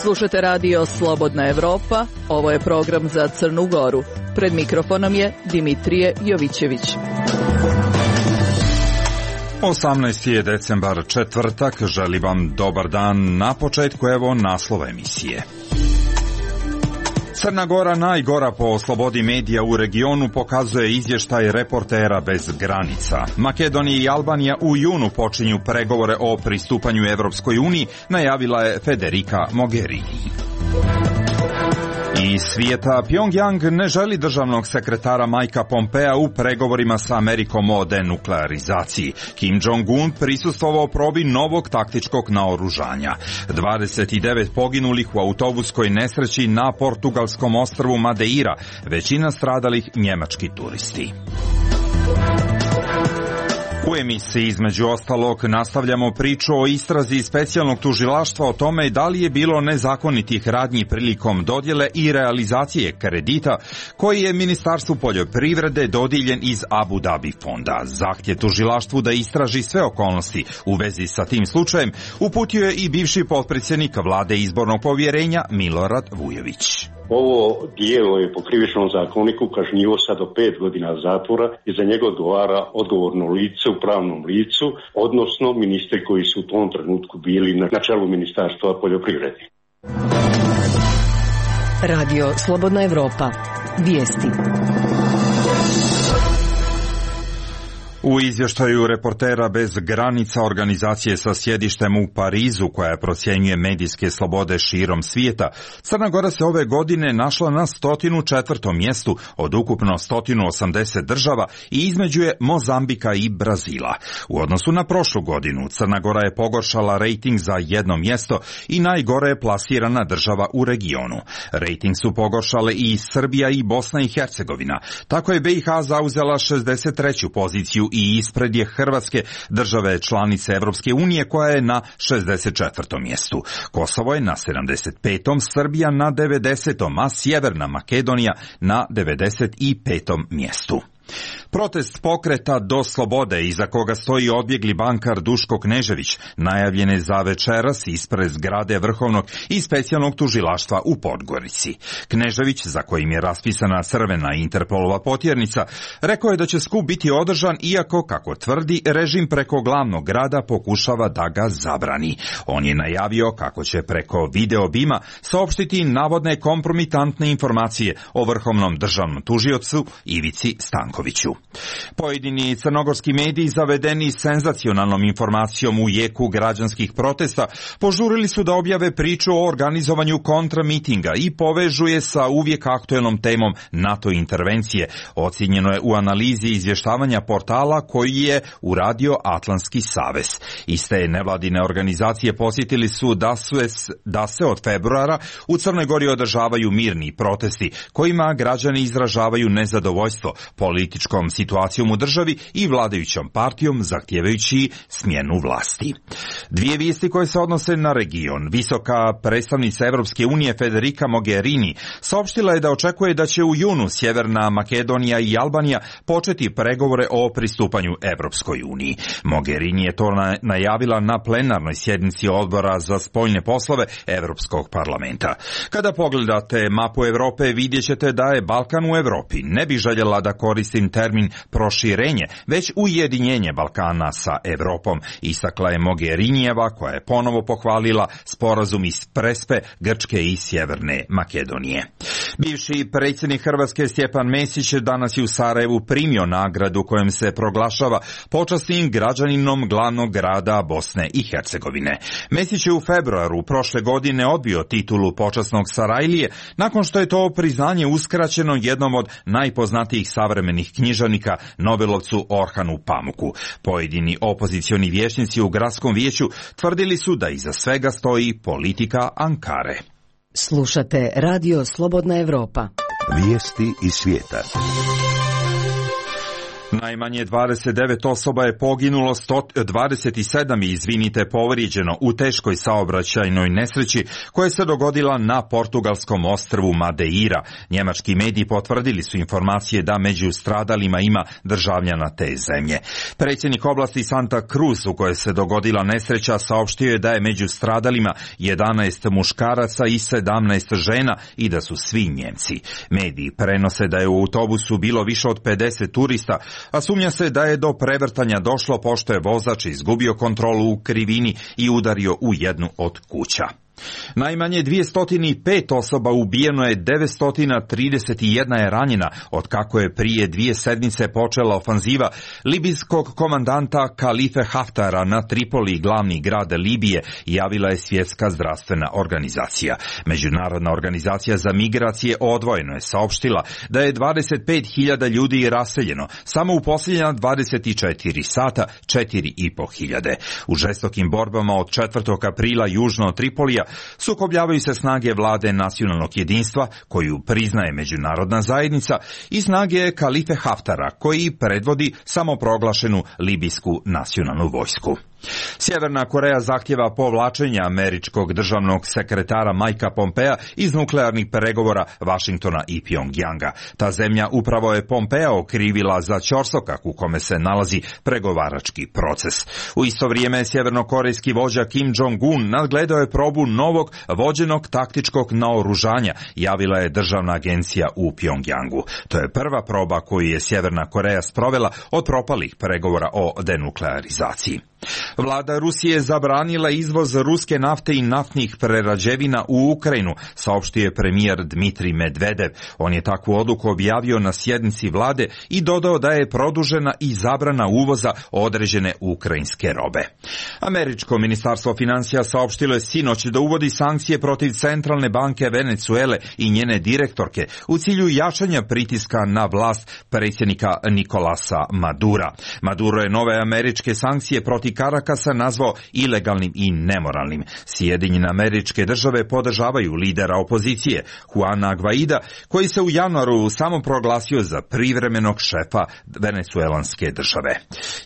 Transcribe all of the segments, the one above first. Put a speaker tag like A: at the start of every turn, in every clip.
A: Slušate radio Slobodna Evropa, ovo je program za Crnu Goru. Pred mikrofonom je Dimitrije Jovićević.
B: 18. je decembar, četvrtak, želim vam dobar dan. Na početku evo naslova emisije. Crna Gora najgora po slobodi medija u regionu, pokazuje izvještaj Reportera bez granica. Makedonija i Albanija u junu počinju pregovore o pristupanju Evropskoj uniji, najavila je Federica Mogherini. Iz svijeta, Pyongyang ne želi državnog sekretara Mikea Pompea u pregovorima sa Amerikom o denuklearizaciji. Kim Jong-un prisustvovao probi novog taktičkog naoružanja. 29 poginulih u autobuskoj nesreći na portugalskom ostrvu Madeira, većina stradalih njemački turisti. U emisiji između ostalog nastavljamo priču o istrazi specijalnog tužilaštva o tome da li je bilo nezakonitih radnji prilikom dodjele i realizacije kredita koji je Ministarstvu poljoprivrede dodijeljen iz Abu Dhabi fonda. Zahtjev tužilaštvu da istraži sve okolnosti u vezi sa tim slučajem uputio je i bivši potpredsjednik vlade izbornog povjerenja Milorad Vujović.
C: Ovo dijelo je po krivičnom zakoniku kažnjivo sad do 5 godina zatvora i za njega odgovara odgovorno lice u pravnom licu, odnosno ministri koji su u tom trenutku bili na čelu Ministarstva poljoprivrede.
D: Radio Slobodna Evropa. Vijesti.
B: U izvještaju Reportera bez granica, organizacije sa sjedištem u Parizu koja procjenjuje medijske slobode širom svijeta, Crna Gora se ove godine našla na 104. mjestu od ukupno 180 država i između je Mozambika i Brazila. U odnosu na prošlu godinu, Crna Gora je pogoršala rejting za jedno mjesto i najgore je plasirana država u regionu. Rejting su pogoršale i Srbija i Bosna i Hercegovina. Tako je BiH zauzela 63. poziciju i ispred je Hrvatske, države članice Evropske unije, koja je na 64. mjestu. Kosovo je na 75. Srbija na 90. a Sjeverna Makedonija na 95. mjestu. Protest pokreta Do slobode, iza koga stoji odbjegli bankar Duško Knežević, najavljen je za večeras ispred zgrade Vrhovnog i specijalnog tužilaštva u Podgorici. Knežević, za kojim je raspisana crvena Interpolova potjernica, rekao je da će skup biti održan, iako, kako tvrdi, režim preko glavnog grada pokušava da ga zabrani. On je najavio kako će preko video bima saopštiti navodne kompromitantne informacije o vrhovnom državnom tužiocu Ivici Stankoviću. Pojedini crnogorski mediji, zavedeni senzacionalnom informacijom u jeku građanskih protesta, požurili su da objave priču o organizovanju kontramitinga i povežu je sa uvijek aktuelnom temom NATO intervencije. Ocijenjeno je u analizi izvještavanja portala koji je uradio Atlantski savez. Iste nevladine organizacije posjetili su da se od februara u Crnoj Gori održavaju mirni protesti kojima građani izražavaju nezadovoljstvo političkom situacijom u državi i vladajućom partijom, zahtijevajući smjenu vlasti. Dvije vijesti koje se odnose na region. Visoka predstavnica Evropske unije Federica Mogherini saopštila je da očekuje da će u junu Sjeverna Makedonija i Albanija početi pregovore o pristupanju Evropskoj uniji. Mogherini je to najavila na plenarnoj sjednici Odbora za spoljne poslove Evropskog parlamenta. Kada pogledate mapu Europe, vidjet ćete da je Balkan u Europi. Ne bi željela da koristim termin proširenje, već ujedinjenje Balkana sa Europom, istakla je Mogherinijeva, koja je ponovo pohvalila sporazum iz Prespe, Grčke i Sjeverne Makedonije. Bivši predsjednik Hrvatske Stjepan Mesić danas je u Sarajevu primio nagradu kojom se proglašava počasnim građaninom glavnog grada Bosne i Hercegovine. Mesić je u februaru prošle godine odbio titulu počasnog Sarajlije nakon što je to priznanje uskraćeno jednom od najpoznatijih savremenih književnika, Nobelovcu Orhanu Pamuku. Pojedini opozicioni vijećnici u gradskom vijeću tvrdili su da iza svega stoji politika Ankare.
D: Slušate Radio Slobodna Evropa.
E: Vijesti iz svijeta.
B: Najmanje 29 osoba je poginulo, 27 je povrijeđeno u teškoj saobraćajnoj nesreći koja se dogodila na portugalskom ostrvu Madeira. Njemački mediji potvrdili su informacije da među stradalima ima državljana te zemlje. Predsjednik oblasti Santa Cruz u kojoj se dogodila nesreća saopštio je da je među stradalima 11 muškaraca i 17 žena i da su svi Njemci. Mediji prenose da je u autobusu bilo više od 50 turista, a sumnja se da je do prevrtanja došlo pošto je vozač izgubio kontrolu u krivini i udario u jednu od kuća. Najmanje 205 osoba ubijeno je, 931 je ranjena, od kako je prije 2 sedmice počela ofanziva libijskog komandanta Kalife Haftara na Tripoli, glavni grad Libije, javila je Svjetska zdravstvena organizacija. Međunarodna organizacija za migracije odvojeno je saopštila da je 25.000 ljudi raseljeno, samo u posljednja 24 sata 4.500. U žestokim borbama od 4. aprila južno od Tripolija sukobljavaju se snage vlade nacionalnog jedinstva, koju priznaje međunarodna zajednica, i snage Kalife Haftara, koji predvodi samoproglašenu libijsku nacionalnu vojsku. Sjeverna Koreja zahtjeva povlačenje američkog državnog sekretara Mikea Pompea iz nuklearnih pregovora Vašingtona i Pjongjanga. Ta zemlja upravo je Pompea okrivila za ćorsokak u kome se nalazi pregovarački proces. U isto vrijeme sjevernokorejski vođa Kim Jong-un nadgledao je probu novog vođenog taktičkog naoružanja, javila je državna agencija u Pjongjangu. To je prva proba koju je Sjeverna Koreja sprovela od propalih pregovora o denuklearizaciji. Vlada Rusije je zabranila izvoz ruske nafte i naftnih prerađevina u Ukrajinu, saopštio je premijer Dmitrij Medvedev. On je takvu odluku objavio na sjednici vlade i dodao da je produžena i zabrana uvoza određene ukrajinske robe. Američko ministarstvo financija saopštilo je sinoć da uvodi sankcije protiv Centralne banke Venezuele i njene direktorke u cilju jačanja pritiska na vlast predsjednika Nicolasa Madura. Maduro je nove američke sankcije protiv Karakasa nazvao ilegalnim i nemoralnim. Sjedinjene Američke Države podržavaju lidera opozicije Juana Guaida, koji se u januaru samo proglasio za privremenog šefa venezuelanske države.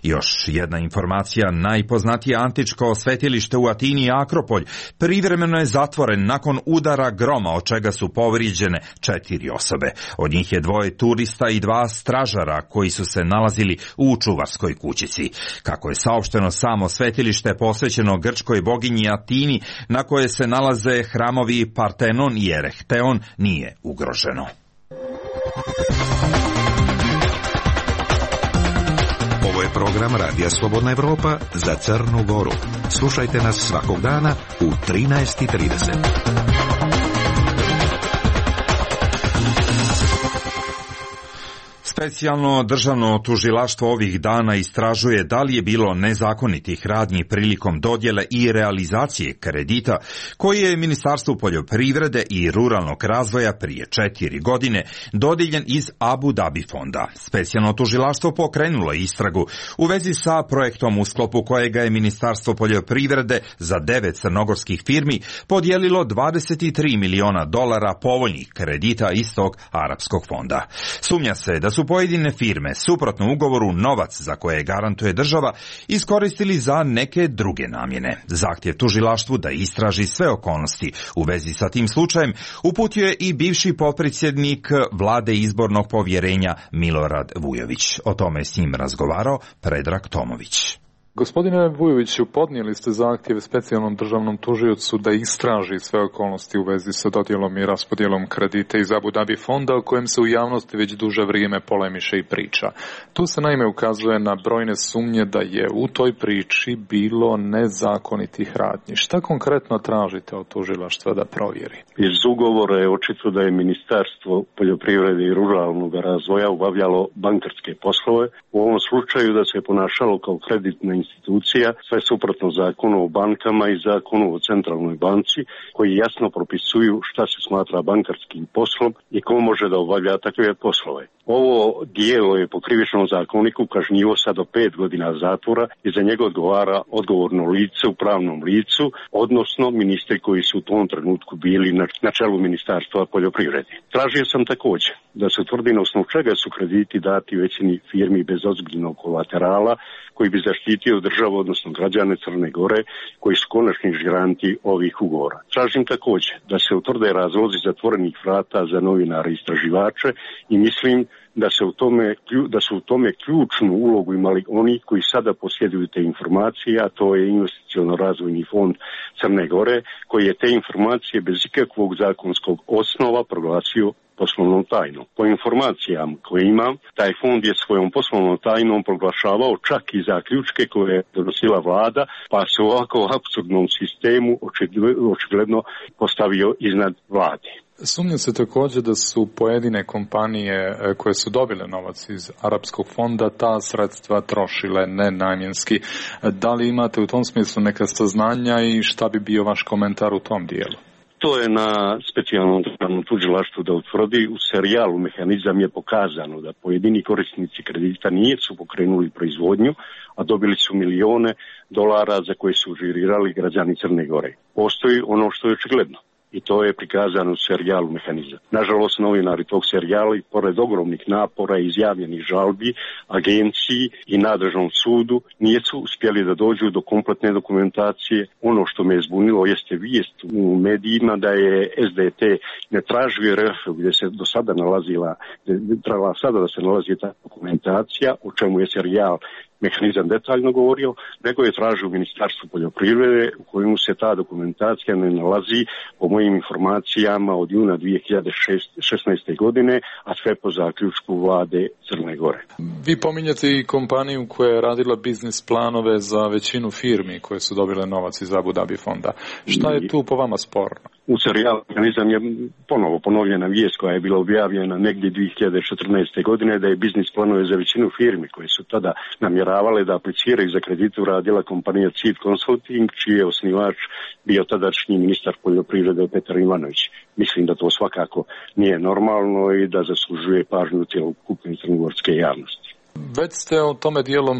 B: Još jedna informacija, najpoznatije antičko svetilište u Atini, Akropolj, privremeno je zatvoren nakon udara groma, od čega su povrijeđene 4 osobe. Od njih je 2 turista i 2 stražara koji su se nalazili u čuvarskoj kućici. Kako je saopšteno, samo svetilište posvećeno grčkoj boginji Atini, na koje se nalaze hramovi Partenon i Erechtheon, nije ugroženo.
E: Ovo je program Radija Slobodna Evropa za Crnu Goru. Slušajte nas svakog dana u 13:30.
B: Specijalno državno tužilaštvo ovih dana istražuje da li je bilo nezakonitih radnji prilikom dodjele i realizacije kredita koji je Ministarstvu poljoprivrede i ruralnog razvoja prije 4 godine dodijeljen iz Abu Dhabi fonda. Specijalno tužilaštvo pokrenulo istragu u vezi sa projektom u sklopu kojega je Ministarstvo poljoprivrede za 9 crnogorskih firmi podijelilo $23 miliona povoljnih kredita iz tog arapskog fonda. Sumnja se da su pojedine firme, suprotno ugovoru, novac za koje garantuje država iskoristili za neke druge namjene. Zahtjev tužilaštvu da istraži sve okolnosti u vezi sa tim slučajem uputio je i bivši potpredsjednik vlade izbornog povjerenja Milorad Vujović. O tome je s njim razgovarao Predrag Tomović.
F: Gospodine Vujoviću, podnijeli ste zahtjev specijalnom državnom tužiocu da istraži sve okolnosti u vezi sa dodjelom i raspodjelom kredita iz Abu Dhabi fonda, o kojem se u javnosti već duže vrijeme polemiše i priča. Tu se naime ukazuje na brojne sumnje da je u toj priči bilo nezakonitih radnji. Šta konkretno tražite od tužilaštva da provjeri?
C: Iz ugovora je očito da je Ministarstvo poljoprivrede i ruralnog razvoja obavljalo bankarske poslove. U ovom slučaju da se ponašalo kao kreditna institucija, sve suprotno zakonu o bankama i zakonu o centralnoj banci, koji jasno propisuju šta se smatra bankarskim poslom i ko može da obavlja takve poslove. Ovo dijelo je po krivičnom zakoniku kažnjivo sa do 5 godina zatvora i za njega odgovara odgovorno lice u pravnom licu, odnosno ministri koji su u tom trenutku bili na čelu Ministarstva poljoprivrede. Tražio sam također da se utvrdi na osnovu čega su krediti dati većini firmi bez ozbiljnog kolaterala koji bi zaštitio državu, odnosno građane Crne Gore, koji su konačni garanti ovih ugovora. Tražim također da se utvrde razlozi zatvorenih vrata za novinare i istraživače i mislim da su u tome ključnu ulogu imali oni koji sada posjeduju te informacije, a to je Investiciono-razvojni fond Crne Gore, koji je te informacije bez ikakvog zakonskog osnova proglasio poslovnom tajnom. Po informacijama koje imam, taj fond je svojom poslovnom tajnom proglašavao čak i zaključke koje je donosila vlada, pa se u ovako apsurdnom sistemu očigledno postavio iznad vlade.
F: Sumnja se također da su pojedine kompanije koje su dobile novac iz Arapskog fonda ta sredstva trošile nenamjenski. Da li imate u tom smislu neka saznanja i šta bi bio vaš komentar u tom dijelu?
C: To je na specijalnom državnom tužilaštvu da utvrdi. U serijalu Mehanizam je pokazano da pojedini korisnici kredita nisu pokrenuli proizvodnju, a dobili su milione dolara za koje su žirirali građani Crne Gore. Postoji ono što je očigledno. I to je prikazano u serijalu Mehanizam. Nažalost, novinari tog serijala, i pored ogromnih napora i izjavljenih žalbi, agenciji i nadležnom sudu, nisu uspjeli da dođu do kompletne dokumentacije. Ono što me je zbunilo jeste vijest u medijima da je SDT ne tražio RF gdje se do sada nalazila, trebala sada da se nalazi ta dokumentacija, o čemu je serijal Mehanizam detaljno govorio, nego je tražio Ministarstvo poljoprivrede u kojemu se ta dokumentacija ne nalazi po mojim informacijama od juna 2016. godine, a sve po zaključku vlade Crne Gore.
F: Vi pominjate i kompaniju koja je radila biznis planove za većinu firmi koje su dobile novac iz Abu Dhabi fonda. Šta je tu po vama sporno?
C: U serijalu Mehanizam je ponovo ponovljena vijest koja je bila objavljena negdje 2014. godine da je biznis planove za većinu firmi koje su tada namjeravale da apliciraju za kredit uradila kompanija Cid Consulting, čiji je osnivač bio tadašnji ministar poljoprivrede Petar Ivanović. Mislim da to svakako nije normalno i da zaslužuje pažnju cjelokupne crnogorske javnosti.
F: Već ste o tome dijelom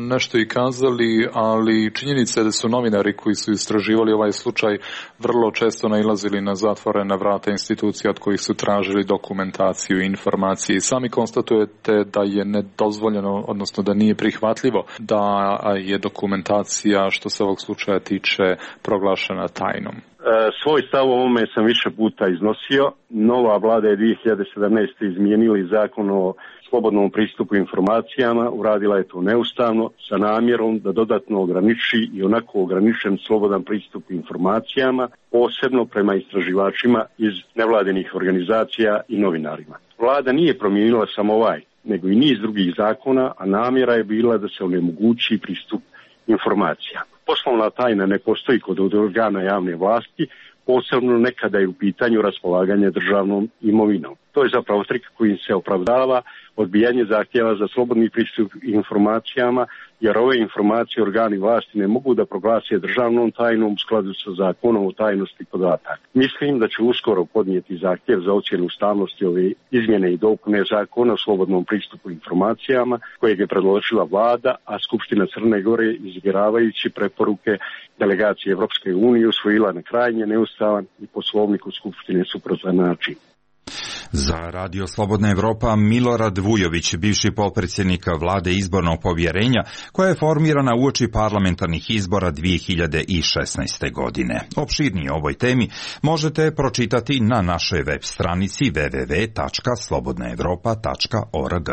F: nešto i kazali, ali činjenica je da su novinari koji su istraživali ovaj slučaj vrlo često nailazili na zatvorena vrata institucija od kojih su tražili dokumentaciju i informacije. Sami konstatujete da je nedozvoljeno, odnosno da nije prihvatljivo da je dokumentacija što se ovog slučaja tiče proglašena tajnom.
C: Svoj stav o ovome sam više puta iznosio. Nova vlada je 2017. izmijenili zakon o slobodnom pristupu informacijama, uradila je to neustavno sa namjerom da dodatno ograniči i onako ograničen slobodan pristup informacijama, posebno prema istraživačima iz nevladinih organizacija i novinarima. Vlada nije promijenila samo ovaj, nego i niz drugih zakona, a namjera je bila da se onemogući pristup informacija. Poslovna tajna ne postoji kod organa javne vlasti, posebno nekada je u pitanju raspolaganje državnom imovinom. To je zapravo trik kojim se opravdava odbijanje zahtjeva za slobodni pristup informacijama, jer ove informacije organi vlasti ne mogu da proglase državnom tajnom u skladu sa zakonom o tajnosti podataka. Mislim da će uskoro podnijeti zahtjev za ocjenu ustavnosti ove izmjene i dopune zakona o slobodnom pristupu informacijama kojeg je predložila vlada, a Skupština Crne Gore iziguravajući preporuke delegacije Evropske unije usvojila na krajnje neustavan i poslovnik u Skupštine suprotan način.
B: Za Radio Slobodna Evropa Milorad Vujović, bivši potpredsjednik vlade izbornog povjerenja, koja je formirana uoči parlamentarnih izbora 2016. godine. Opširnije o ovoj temi možete pročitati na našoj web stranici www.slobodnaevropa.org.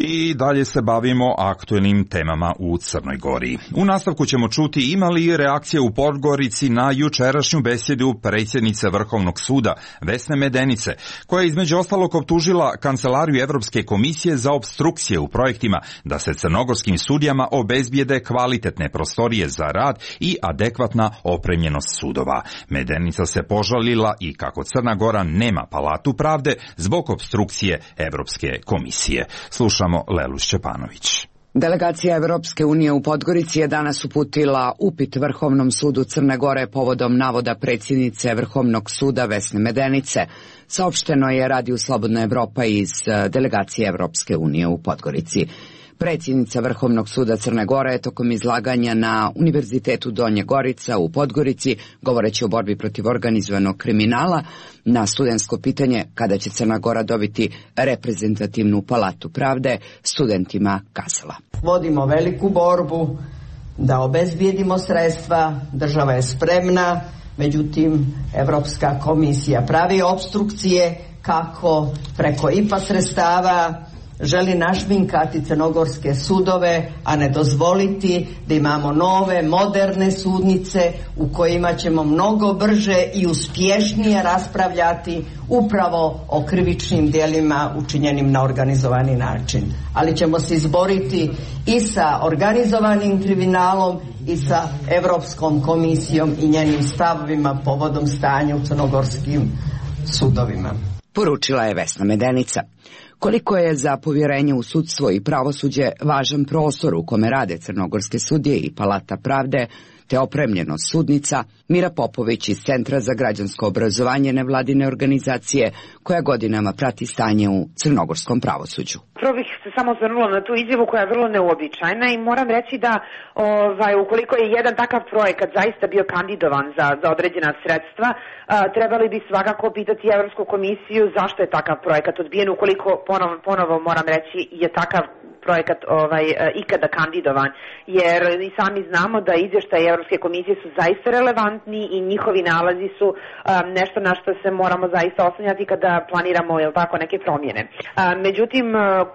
B: I dalje se bavimo aktuelnim temama u Crnoj Gori. U nastavku ćemo čuti ima li reakcije u Podgorici na jučerašnju besjedu predsjednice Vrhovnog suda Vesne Medenice, koja je između ostalog optužila Kancelariju Evropske komisije za opstrukcije u projektima da se crnogorskim sudijama obezbijede kvalitetne prostorije za rad i adekvatna opremljenost sudova. Medenica se požalila i kako Crna Gora nema palatu pravde zbog opstrukcije Evropske komisije. Slušamo slušamo Lelu Šćepanović.
G: Delegacija Evropske unije u Podgorici je danas uputila upit Vrhovnom sudu Crne Gore povodom navoda predsjednice Vrhovnog suda Vesne Medenice. Saopšteno je Radiju Slobodna Evropa iz delegacije Evropske unije u Podgorici. Predsjednica Vrhovnog suda Crne Gore je tokom izlaganja na Univerzitetu Donje Gorica u Podgorici, govoreći o borbi protiv organizovanog kriminala, na studentsko pitanje kada će Crna Gora dobiti reprezentativnu palatu pravde, studentima kazala:
H: Vodimo veliku borbu da obezbijedimo sredstva, država je spremna, međutim Evropska komisija pravi opstrukcije kako preko IPA sredstava želi našminkati crnogorske sudove, a ne dozvoliti da imamo nove, moderne sudnice u kojima ćemo mnogo brže i uspješnije raspravljati upravo o krivičnim djelima učinjenim na organizovani način. Ali ćemo se izboriti i sa organizovanim kriminalom i sa Evropskom komisijom i njenim stavovima povodom stanja u crnogorskim sudovima.
G: Poručila je Vesna Medenica. Koliko je za povjerenje u sudstvo i pravosuđe važan prostor u kome rade crnogorske sudije i palata pravde, te opremljenost sudnica, Mira Popović iz Centra za građansko obrazovanje nevladine organizacije koja godinama prati stanje u crnogorskom pravosuđu.
I: Prvo bih se samo osvrnula na tu izjavu koja je vrlo neuobičajena i moram reći da ukoliko je jedan takav projekat zaista bio kandidovan za određena sredstva, trebali bi svakako pitati Evropsku komisiju zašto je takav projekat odbijen, ukoliko ponovo moram reći je takav projekat ikada kandidovan, jer i sami znamo da izvještaji Evropske komisije su zaista relevantni i njihovi nalazi su nešto na što se moramo zaista oslanjati kada planiramo neke promjene. Međutim,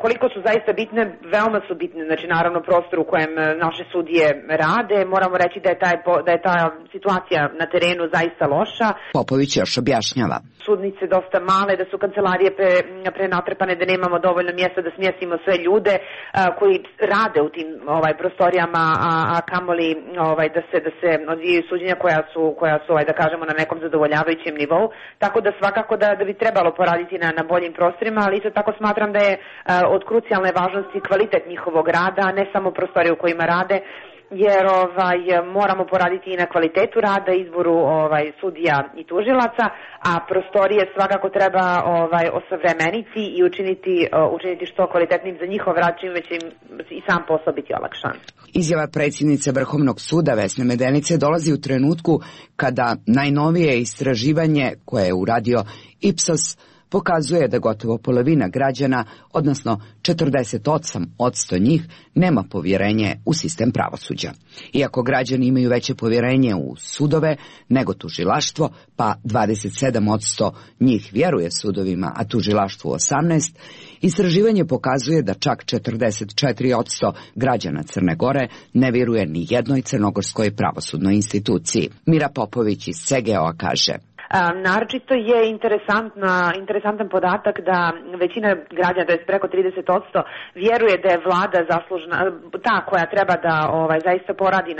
I: koliko su zaista bitne, veoma su bitne, znači naravno prostor u kojem naše sudije rade, moramo reći da je ta situacija na terenu zaista loša.
G: Popović još objašnjava.
I: Sudnice dosta male, da su kancelarije prenatrpane, da nemamo dovoljno mjesta da smjestimo sve ljude koji rade u tim prostorijama, a kamoli da se odvijaju suđenja koja su da kažemo na nekom zadovoljavajućem nivou, tako da svakako da bi trebalo poraditi na boljim prostorima, ali isto tako smatram da je od krucijalne važnosti kvalitet njihovog rada, a ne samo prostorije u kojima rade, jer moramo poraditi i na kvalitetu rada, izboru sudija i tužilaca, a prostorije svakako treba osavremeniti i učiniti što kvalitetnim za njihov rad, čime će im i sam posao biti olakšan.
G: Izjava predsjednice Vrhovnog suda Vesne Medenice dolazi u trenutku kada najnovije istraživanje koje je uradio Ipsos pokazuje da gotovo polovina građana, odnosno 48% njih, nema povjerenje u sistem pravosuđa. Iako građani imaju veće povjerenje u sudove nego tužilaštvo, pa 27% njih vjeruje sudovima, a tužilaštvu 18%, istraživanje pokazuje da čak 44% građana Crne Gore ne vjeruje ni jednoj crnogorskoj pravosudnoj instituciji. Mira Popović iz CGO-a kaže:
I: Naročito je interesantan podatak da većina građana, to je preko 30%, vjeruje da je vlada zaslužna, ta koja treba da zaista poradi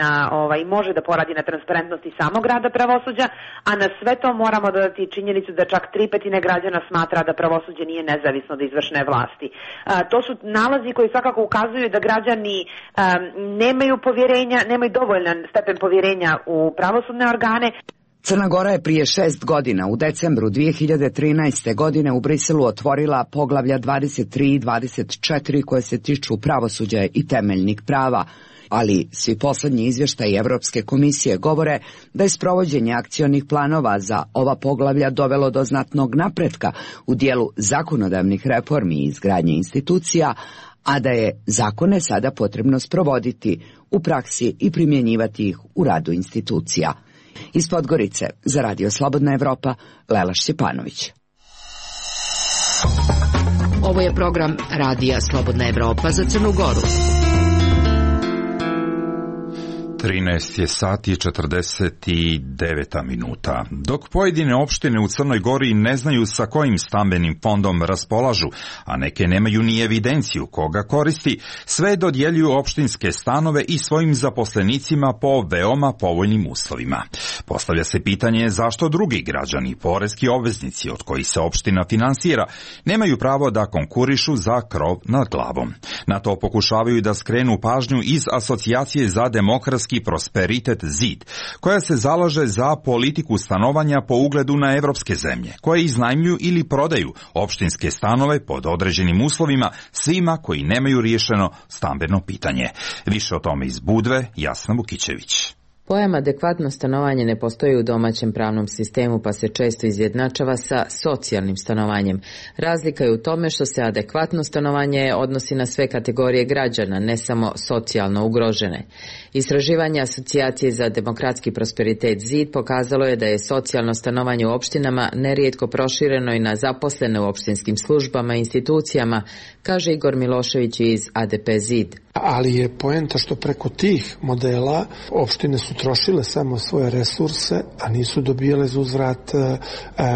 I: i može da poradi na transparentnosti samog rada pravosuđa, a na sve to moramo dodati činjenicu da čak 3/5 građana smatra da pravosuđe nije nezavisno od izvršne vlasti. To su nalazi koji svakako ukazuju da građani nemaju dovoljan stepen povjerenja u pravosudne organe.
G: Crna Gora je prije 6 godina, u decembru 2013. godine, u Briselu otvorila poglavlja 23 i 24 koje se tiču pravosuđa i temeljnih prava, ali svi posljednji izvještaji Evropske komisije govore da je sprovođenje akcionih planova za ova poglavlja dovelo do znatnog napretka u dijelu zakonodavnih reformi i izgradnje institucija, a da je zakone sada potrebno sprovoditi u praksi i primjenjivati ih u radu institucija. Iz Podgorice za Radio Slobodna Evropa, Lela Šćepanović.
D: Ovo je program Radija Slobodna Evropa za Crnu Goru.
B: 13 je sati i 49 minuta. Dok pojedine opštine u Crnoj Gori ne znaju sa kojim stambenim fondom raspolažu, a neke nemaju ni evidenciju koga koristi, sve dodjeljuju opštinske stanove i svojim zaposlenicima po veoma povoljnim uslovima. Postavlja se pitanje zašto drugi građani i poreski obveznici od kojih se opština finansira nemaju pravo da konkurišu za krov nad glavom. Na to pokušavaju da skrenu pažnju iz Asocijacije za demokratski prosperitet ZID, koja se zalaže za politiku stanovanja po ugledu na evropske zemlje, koje iznajmljuju ili prodaju opštinske stanove pod određenim uslovima svima koji nemaju riješeno stambeno pitanje. Više o tome iz Budve, Jasna Vukićević.
J: Pojam adekvatno stanovanje ne postoji u domaćem pravnom sistemu, pa se često izjednačava sa socijalnim stanovanjem. Razlika je u tome što se adekvatno stanovanje odnosi na sve kategorije građana, ne samo socijalno ugrožene. Istraživanje Asocijacije za demokratski prosperitet ZID pokazalo je da je socijalno stanovanje u opštinama nerijetko prošireno i na zaposlene u opštinskim službama i institucijama, kaže Igor Milošević iz ADP ZID.
K: Ali je poenta što preko tih modela opštine su trošile samo svoje resurse, a nisu dobijale za uzvrat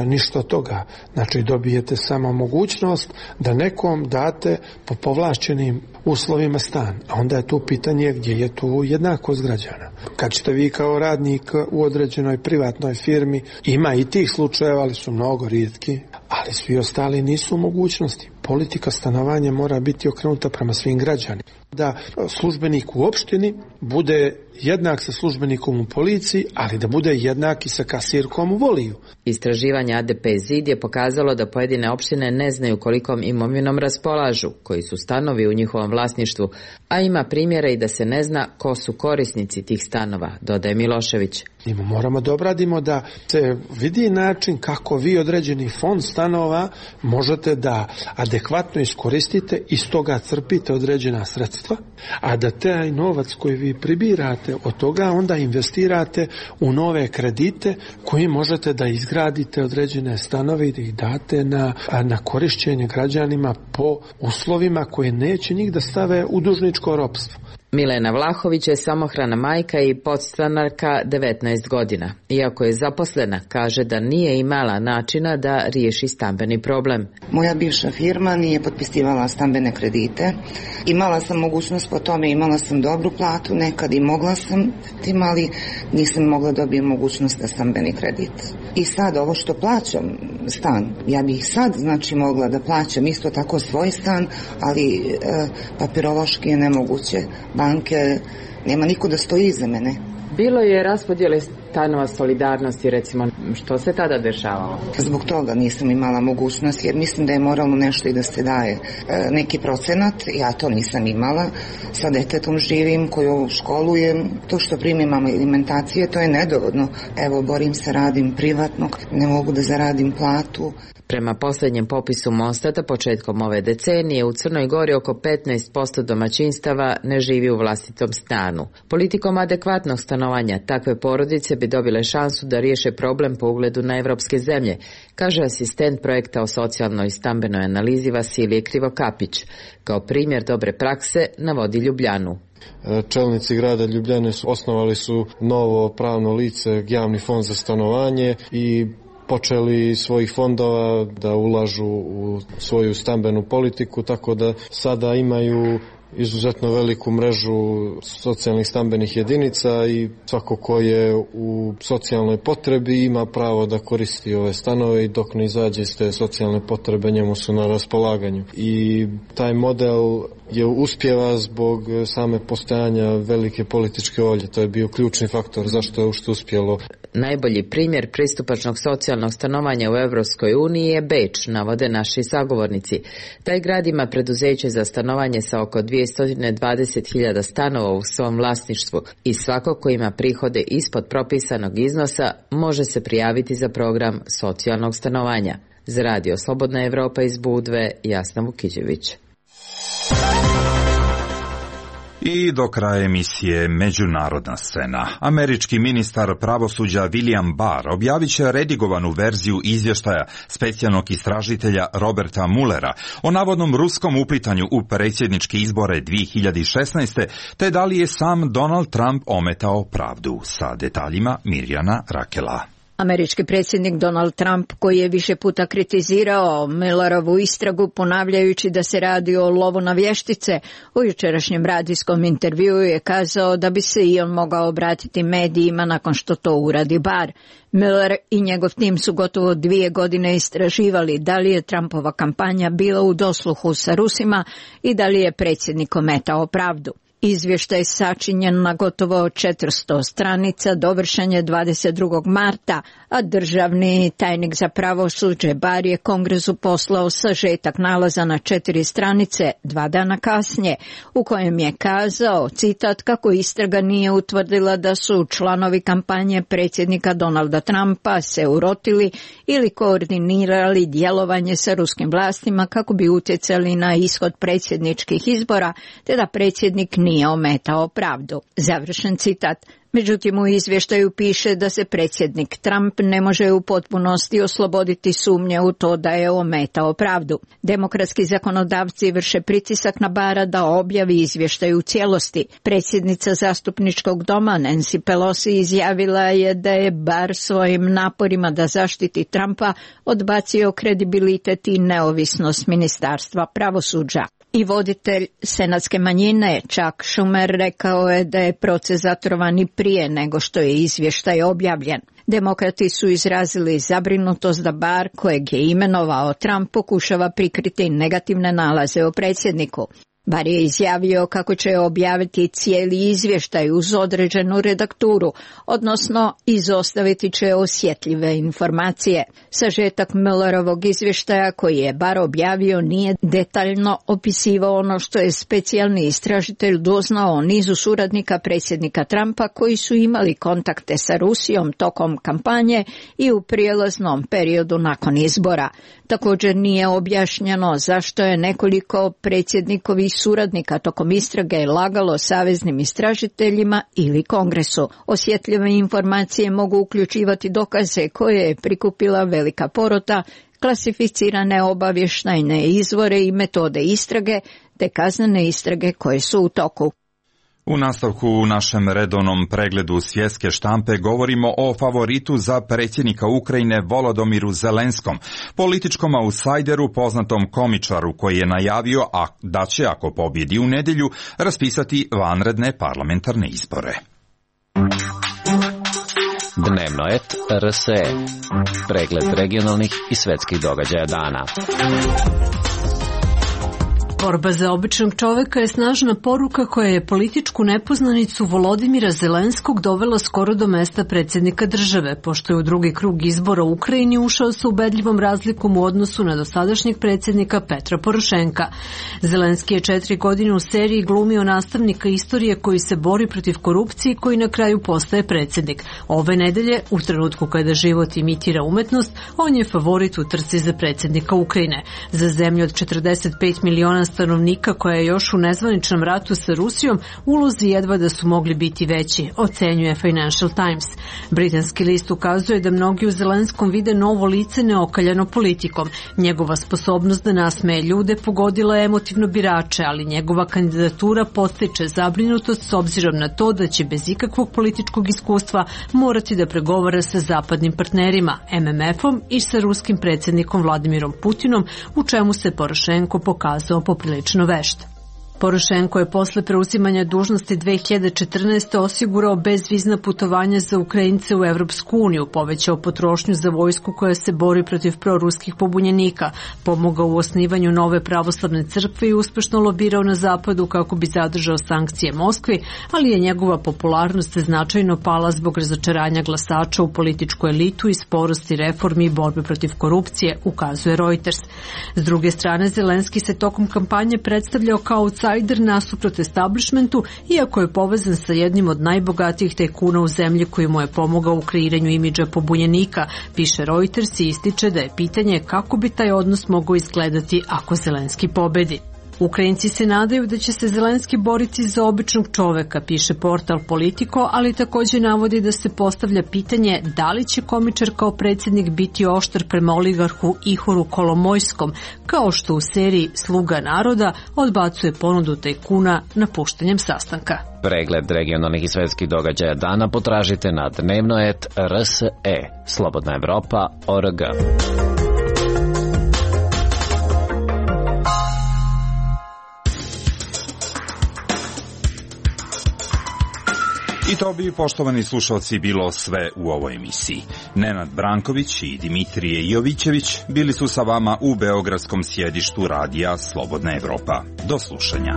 K: ništa od toga. Znači dobijete samo mogućnost da nekom date po povlašćenim uslovima stan. A onda je tu pitanje gdje je tu jednakost građana. Kad ćete vi kao radnik u određenoj privatnoj firmi, ima i tih slučajeva, ali su mnogo rijetki, ali svi ostali nisu u mogućnosti. Politika stanovanja mora biti okrenuta prema svim građanima. Da službenik u opštini bude jednak sa službenikom u policiji, ali da bude jednak i sa kasirkom u Voliju.
J: Istraživanje ADP ZID je pokazalo da pojedine opštine ne znaju kolikom imovinom raspolažu, koji su stanovi u njihovom vlasništvu, a ima primjera i da se ne zna ko su korisnici tih stanova, dodaje Milošević.
K: Moramo da obradimo da se vidi način kako vi određeni fond stanova možete da adekvatno iskoristite i iz toga crpite određena sredstva, a da taj novac koji vi pribirate od toga onda investirate u nove kredite koji možete da izgradite određene stanove i da ih date na korišćenje građanima po uslovima koje neće njih da stave u dužničko ropstvo.
J: Milena Vlahović je samohrana majka i podstanarka 19 godina. Iako je zaposlena, kaže da nije imala načina da riješi stambeni problem.
L: Moja bivša firma nije potpisivala stambene kredite. Imala sam mogućnost po tome, imala sam dobru platu, nekad i mogla sam tim, ali nisam mogla dobiti mogućnost za stambeni kredit. I sad ovo što plaćam stan, ja bih sad mogla da plaćam isto tako svoj stan, ali papirološki je nemoguće. Banke, nema niko da stoji iza mene.
J: Bilo je raspodjele stanova solidarnosti, recimo, što se tada dešavalo?
L: Zbog toga nisam imala mogućnost, jer mislim da je moralno nešto i da se daje neki procenat, ja to nisam imala. Sa detetom živim, koju školujem, to što primim alimentacije, to je nedovoljno. Evo, borim se, radim privatno, ne mogu da zaradim platu.
J: Prema posljednjem popisu Mostata početkom ove decenije u Crnoj Gori oko 15% domaćinstava ne živi u vlastitom stanu. Politikom adekvatnog stanovanja takve porodice bi dobile šansu da riješe problem po ugledu na evropske zemlje, kaže asistent projekta o socijalnoj i stambenoj analizi Vasilije Krivokapić. Kao primjer dobre prakse navodi Ljubljanu.
M: Čelnici grada Ljubljane osnovali su novo pravno lice, javni fond za stanovanje, i počeli svojih fondova da ulažu u svoju stambenu politiku, tako da sada imaju izuzetno veliku mrežu socijalnih stambenih jedinica i svako ko je u socijalnoj potrebi ima pravo da koristi ove stanove i dok ne izađe iz te socijalne potrebe njemu su na raspolaganju. I taj model je uspjeva zbog same postojanja velike političke volje. To je bio ključni faktor zašto je uopšte uspjelo.
J: Najbolji primjer pristupačnog socijalnog stanovanja u Evropskoj uniji je Beč, navode naši sagovornici. Taj grad ima preduzeće za stanovanje sa oko 220.000 stanova u svom vlasništvu i svako ko ima prihode ispod propisanog iznosa može se prijaviti za program socijalnog stanovanja. Za Radio Slobodna Evropa iz Budve, Jasna Vukićević.
B: I do kraja emisije Međunarodna scena. Američki ministar pravosuđa William Barr objavit će redigovanu verziju izvještaja specijalnog istražitelja Roberta Muellera o navodnom ruskom uplitanju u predsjedničke izbore 2016. te da li je sam Donald Trump ometao pravdu. Sa detaljima Mirjana Rakela.
N: Američki predsjednik Donald Trump, koji je više puta kritizirao Millerovu istragu ponavljajući da se radi o lovu na vještice, u jučerašnjem radijskom intervjuu je kazao da bi se i on mogao obratiti medijima nakon što to uradi Barr. Miller i njegov tim su gotovo 2 godine istraživali da li je Trumpova kampanja bila u dosluhu sa Rusima i da li je predsjednik ometao pravdu. Izvještaj sačinjen na gotovo 400 stranica, dovršen je 22. marta, a državni tajnik za pravosuđe Barr je Kongresu poslao sažetak nalaza na 4 stranice 2 dana kasnije, u kojem je kazao, citat, kako istraga nije utvrdila da su članovi kampanje predsjednika Donalda Trumpa se urotili ili koordinirali djelovanje sa ruskim vlastima kako bi utjecali na ishod predsjedničkih izbora, te da predsjednik nije ometao pravdu. Završen citat. Međutim, u izvještaju piše da se predsjednik Trump ne može u potpunosti osloboditi sumnje u to da je ometao pravdu. Demokratski zakonodavci vrše pritisak na Barra da objavi izvještaj u cijelosti. Predsjednica zastupničkog doma Nancy Pelosi izjavila je da je Barr svojim naporima da zaštiti Trumpa odbacio kredibilitet i neovisnost ministarstva pravosuđa. I voditelj senatske manjine Chuck Schumer rekao je da je proces zatrovan i prije nego što je izvještaj objavljen. Demokrati su izrazili zabrinutost da Barr, kojeg je imenovao Trump, pokušava prikriti negativne nalaze o predsjedniku. Barr je izjavio kako će objaviti cijeli izvještaj uz određenu redakturu, odnosno izostaviti će osjetljive informacije. Sažetak Millerovog izvještaja koji je Barr objavio nije detaljno opisivao ono što je specijalni istražitelj doznao o nizu suradnika predsjednika Trumpa koji su imali kontakte sa Rusijom tokom kampanje i u prijelaznom periodu nakon izbora. Također nije objašnjeno zašto je nekoliko predsjednikovih suradnika tokom istrage lagalo saveznim istražiteljima ili Kongresu. Osjetljive informacije mogu uključivati dokaze koje je prikupila velika porota, klasificirane obavještajne izvore i metode istrage, te kaznene istrage koje su u toku.
B: U nastavku u našem redovnom pregledu svjetske štampe govorimo o favoritu za predsjednika Ukrajine Volodimiru Zelenskom, političkom outsideru poznatom komičaru koji je najavio da će, ako pobjedi u nedjelju, raspisati vanredne parlamentarne izbore.
O: Dnevno et RSE. Pregled regionalnih i svjetskih događaja dana.
P: Borba za običnog čoveka je snažna poruka koja je političku nepoznanicu Volodimira Zelenskog dovela skoro do mesta predsjednika države, pošto je u drugi krug izbora u Ukrajini ušao sa ubedljivom razlikom u odnosu na dosadašnjeg predsjednika Petra Porošenka. Zelenski je 4 godine u seriji glumio nastavnika istorije koji se bori protiv korupcije i koji na kraju postaje predsjednik. Ove nedelje, u trenutku kada život imitira umetnost, on je favorit u trci za predsjednika Ukrajine. Za zemlju od 45 miliona stanovnika koja je još u nezvaničnom ratu sa Rusijom, ulozi jedva da su mogli biti veći, ocenjuje Financial Times. Britanski list ukazuje da mnogi u Zelenskom vide novo lice neokaljano politikom. Njegova sposobnost da nasmeje ljude pogodila je emotivno birače, ali njegova kandidatura podstiče zabrinutost s obzirom na to da će bez ikakvog političkog iskustva morati da pregovara sa zapadnim partnerima, MMF-om i sa ruskim predsjednikom Vladimirom Putinom, u čemu se Porošenko pokazao poprilično vešt. Porošenko je posle preuzimanja dužnosti 2014. osigurao bezvizna putovanja za Ukrajince u Evropsku uniju, povećao potrošnju za vojsku koja se bori protiv proruskih pobunjenika, pomogao u osnivanju nove pravoslavne crkve i uspešno lobirao na zapadu kako bi zadržao sankcije Moskvi, ali je njegova popularnost značajno pala zbog razočaranja glasača u političku elitu i sporosti reformi i borbe protiv korupcije, ukazuje Reuters. S druge strane, Zelenski se tokom kampanje predstavljao kao outsider nasuprot establishmentu, iako je povezan sa jednim od najbogatijih tajkuna u zemlji koji mu je pomogao u kreiranju imidža pobunjenika, piše Reuters i ističe da je pitanje kako bi taj odnos mogao izgledati ako Zelenski pobedi. Ukrajinci se nadaju da će se Zelenski boriti za običnog čoveka, piše portal Politico, ali takođe navodi da se postavlja pitanje da li će komičar kao predsjednik biti oštar prema oligarhu Ihoru Kolomojskom, kao što u seriji Sluga naroda odbacuje ponudu tajkuna napuštanjem sastanka.
O: Pregled regionalnih i svetskih događaja dana potražite na dnevnoet.rse, Slobodna Evropa.org.
B: I to bi, poštovani slušalci, bilo sve u ovoj emisiji. Nenad Branković i Dimitrije Jovićević bili su sa vama u beogradskom sjedištu radija Slobodna Evropa. Do slušanja.